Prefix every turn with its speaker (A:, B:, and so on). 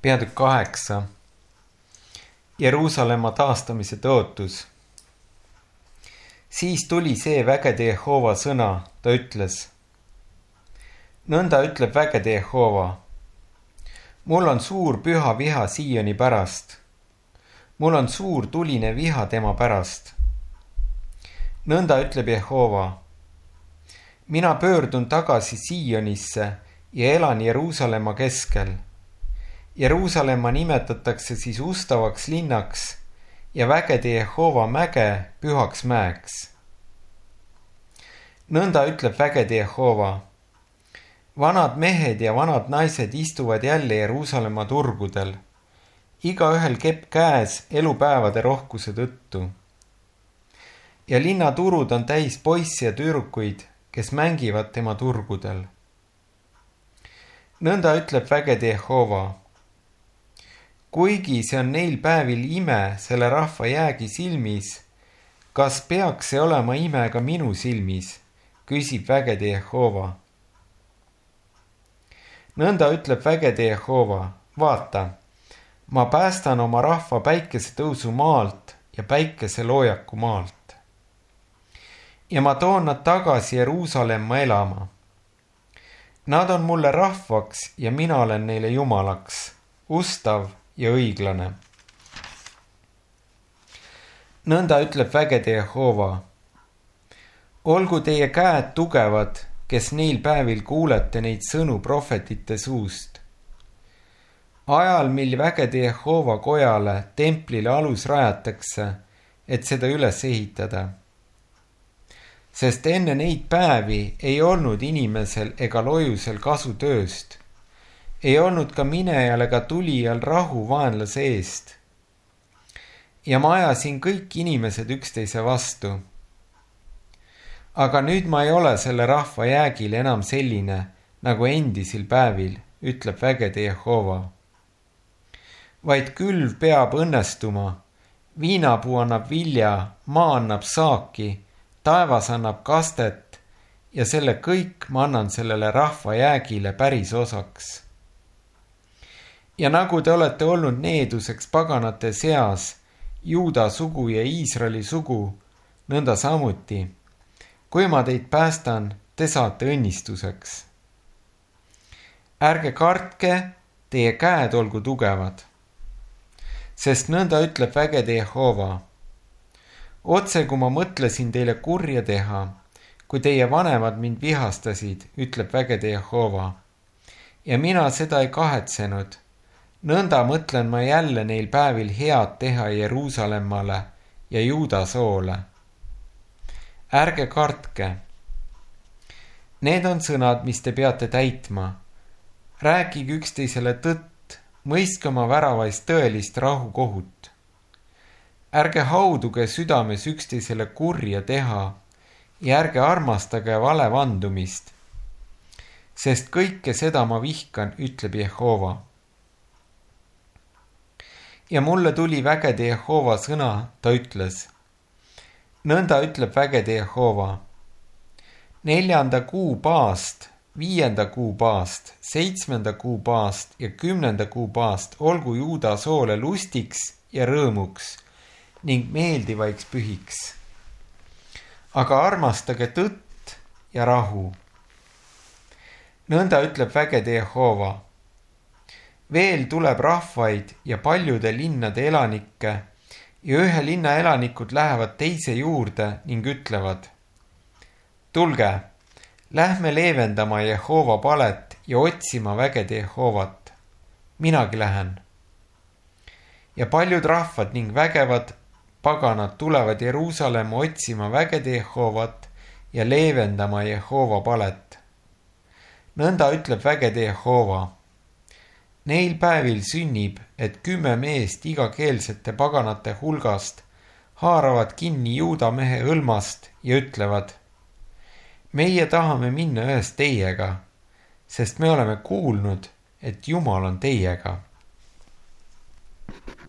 A: Peatükk 8. Jeruusalemma taastamise tõotus. Siis tuli see vägede Jehova sõna, ta ütles. Nõnda ütleb vägede Jehova. Mul on suur püha viha Sioni pärast. Mul on suur tuline viha tema pärast. Nõnda ütleb Jehova. Mina pöördun tagasi Sionisse ja elan Jeruusalemma keskel. Jeruusalemma nimetatakse siis ustavaks linnaks ja vägede Jehova mäge pühaks mäeks. Nõnda ütleb vägede Jehova. Vanad mehed ja vanad naised istuvad jälle Jeruusalemma turgudel. Igaühel kepp käes elupäevade rohkuse tõttu. Ja linnaturud on täis poisse ja tüdrukuid, kes mängivad tema turgudel. Nõnda ütleb vägede Jehova. Kuigi see on neil päevil ime selle rahva jäägi silmis, kas peaks see olema ime ka minu silmis, küsib vägede Jehova. Nõnda ütleb vägede Jehova, vaata, ma päästan oma rahva päikesetõusu maalt ja päikeseloojaku maalt. Ja ma toon nad tagasi Jeruusalemma elama. Nad on mulle rahvaks ja mina olen neile jumalaks, ustav ja õiglane. Nõnda ütleb vägede Jehova. Olgu teie käed tugevad, kes neil päevil kuulete neid sõnu prohvetite suust. Ajal, mil vägede Jehova kojale, templile alus rajatakse, et seda üles ehitada. Sest enne neid päevi ei olnud inimesel ega lojusel kasu tööst. Ei olnud ka minejal ega tulijal rahu vaenlase eest. Ja ma ajasin kõik inimesed üksteise vastu. Aga nüüd ma ei ole selle rahva jäägil enam selline, nagu endisil päevil, ütleb vägede Jehova. Vaid külv peab õnnestuma, viinapuu annab vilja, maa annab saaki, taevas annab kastet ja selle kõik ma annan sellele rahva jäägile päris osaks. Ja nagu te olete olnud needuseks paganate seas, Juuda sugu ja Iisraeli sugu, nõnda samuti. Kui ma teid päästan, te saate õnnistuseks. Ärge kartke, teie käed olgu tugevad. Sest nõnda ütleb vägede Jehova. Otse kui ma mõtlesin teile kurja teha, kui teie vanemad mind vihastasid, ütleb vägede Jehova. Ja mina seda ei kahetsenud. Nõnda mõtlen ma jälle neil päevil head teha Jeruusalemmale ja Juuda soole. Ärge kartke. Need on sõnad, mis te peate täitma. Rääkige üksteisele tõtt, mõistke oma väravais tõelist rahukohut. Ärge hauduge südames üksteisele kurja teha ja ärge armastage vale vandumist. Sest kõike seda ma vihkan, ütleb Jehova. Ja mulle tuli vägede Jehova sõna, ta ütles. Nõnda ütleb vägede Jehova. 4. kuu paast, 5. kuu paast, 7. kuu paast ja 10. kuu paast olgu Juuda soole lustiks ja rõõmuks ning meeldivaiks pühiks. Aga armastage tõtt ja rahu. Nõnda ütleb vägede Jehova. Veel tuleb rahvaid ja paljude linnade elanikke ja ühe linna elanikud lähevad teise juurde ning ütlevad. Tulge, lähme leevendama Jehova palet ja otsima vägede Jehovat. Minagi lähen. Ja paljud rahvad ning vägevad paganad tulevad Jeruusalemma otsima vägede Jehovat ja leevendama Jehova palet. Nõnda ütleb vägede Jehova. Neil päevil sünnib, et 10 meest igakeelsete paganate hulgast haaravad kinni Juuda mehe hõlmast ja ütlevad. Meie tahame minna ühes teiega, sest me oleme kuulnud, et Jumal on teiega.